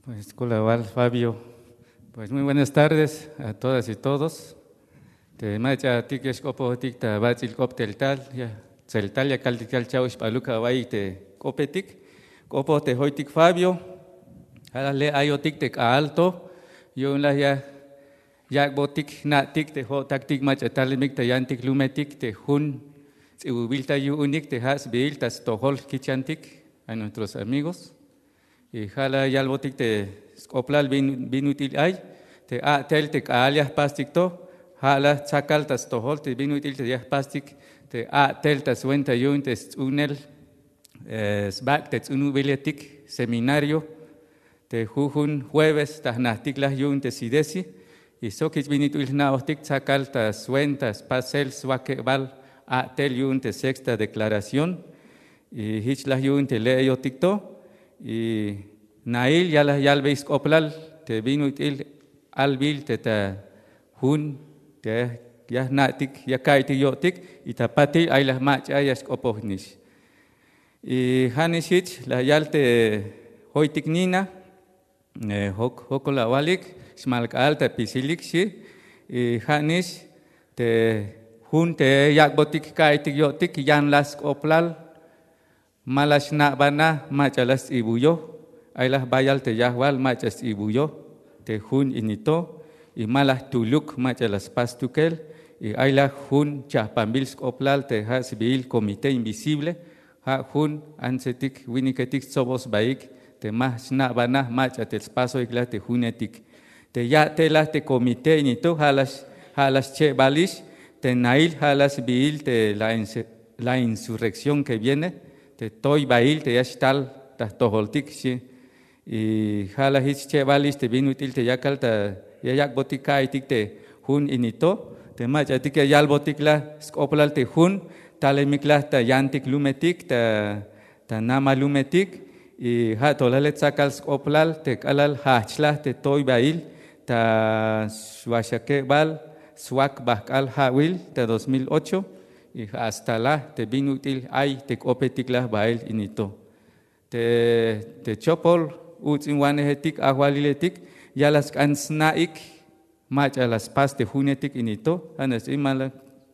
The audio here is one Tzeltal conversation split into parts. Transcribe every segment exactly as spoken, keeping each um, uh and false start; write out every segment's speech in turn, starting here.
Pues, k'ola wal Fabio. Pues, muy buenas tardes a todas y todos. Te mach'atik ya xk'opojotik ta bats'il k'op tel tal, ya tseltal ya kaltik tal cha'oxp'aluk awa'iy te k'opetik. K'opoj te joytik Fabio. Ja' la le' ayotik te k'aal to. Yu'un la ya yak'botik jna'tik te jo'taktik mach'a talemik ta yantik lumetik te jun ts'ibubil ta yu'unik te ja' sbiil ta stojol jkichantik a nuestros amigos. Y ja' la yalbotik te sk'oplal bin bin ut'il ay te a'tel te k'aal ya jpastik to. Ja' la tsakal ta stojol te bin ut'il te ya jpastik te a'tel ta swenta yu'un te sts'unel, eh, sbak' te ts'unubiletik seminario te jujun jueves ta jnajtik la yu'un te sidesi. Y sok jich bin ut'il jna'ojtik tsakal ta swenta spasel swakebal a'tel yu'un te sexta declaración. Y jich la yu'un te le'eyotik to. Y nail ya la yalbey sk'oplal te bin ut'il albil te ta jun te ya jna'tik ya ka'iytik yo'tik. Y ta patil ay la mach'a ya xk'opojnix. Y ja' nix jich la yal te joytik Nina, eh, jok jokol awalik, xmal k'aal ta pisilik xi. Y ja' nix te jun te yak'botik ka'iytik yo'tik yan la sk'oplal. Ma la xna'bana mach'a la sts'ibuyo. Ay la bayal te yajwal mach'a sts'ibuyo te jun ini to. Y ma la jtuluk mach'a la spas stukel. Y ay la jun chajpanbil sk'oplal te ja' sbiil comité invisible. Ja' jun antsetik winiketik stsoboj sbaik te ma xna'bana mach'a te spasoik la te junetik. Te ya'tel la te comité ini to ja' la ja' la xchebalix te nail ja' la sbiil te la inse- la insurrección que viene te toybail te ya xtal ta jtojoltik xi. Y ja' la jich xchebalix te bin ut'il te yakal ta ya yak'botik ka'iytik te jun ini to. Te mach'atik ya yalbotik la sk'oplal te jun talemik la ta yantik lumetik ta ta namal lumetik. Y ja' to la le tsakal sk'oplal te k'alal jajch la te toybail ta swaxakebal swak bajk'al ja'wil ta dos mil ocho. Y ja' hasta la te bin ut'il ay te k'opetik la bael ini to. Te te chopol uts'inwanejetik ajwaliletik ya la sk'an sna'ik mach'a la spas te junetik ini to. Ja' nax ts'in ma la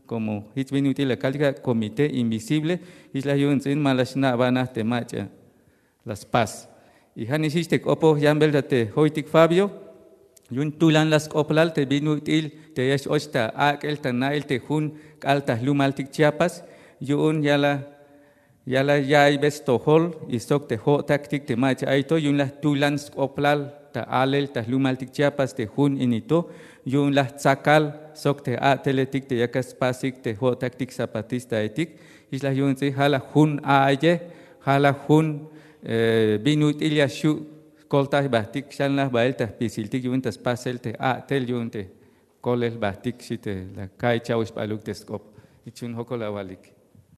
como jich bin ut'il la kaltik ja' comité invisible. Jich la yu'un ts'in ma la xna'bana te mach'a la spas. Y ja' nix jich te k'opoj yanbel ta te joytik Fabio. Yu'un tulan la sk'oplal te bin ut'il te ya x-och ta ak'el ta na'el te jun k'aal ta jlumaltik Chiapas. Yu'un ya la ya la ya'iybe stojol y sok te jo'taktik te mach'a ay to yu'un la jtulan sk'oplal ta alel ta jlumaltik Chiapas te jun ini to. Yu'un la jtsakal sok te a'teletik te yakal spasik te jo'taktik zapatistaetik. Jich la yu'un ts'in ja' la jun a'aye ja' la jun, eh, bin ut'il ya xju' koltay jbajtik xan la jbael ta jpisiltik yu'un ta spasel te a'tel yu'un te kolel jbajtik xi te la ka'iy cha'oxp'aluk te sk'op. Jich yu'un jokol awalik.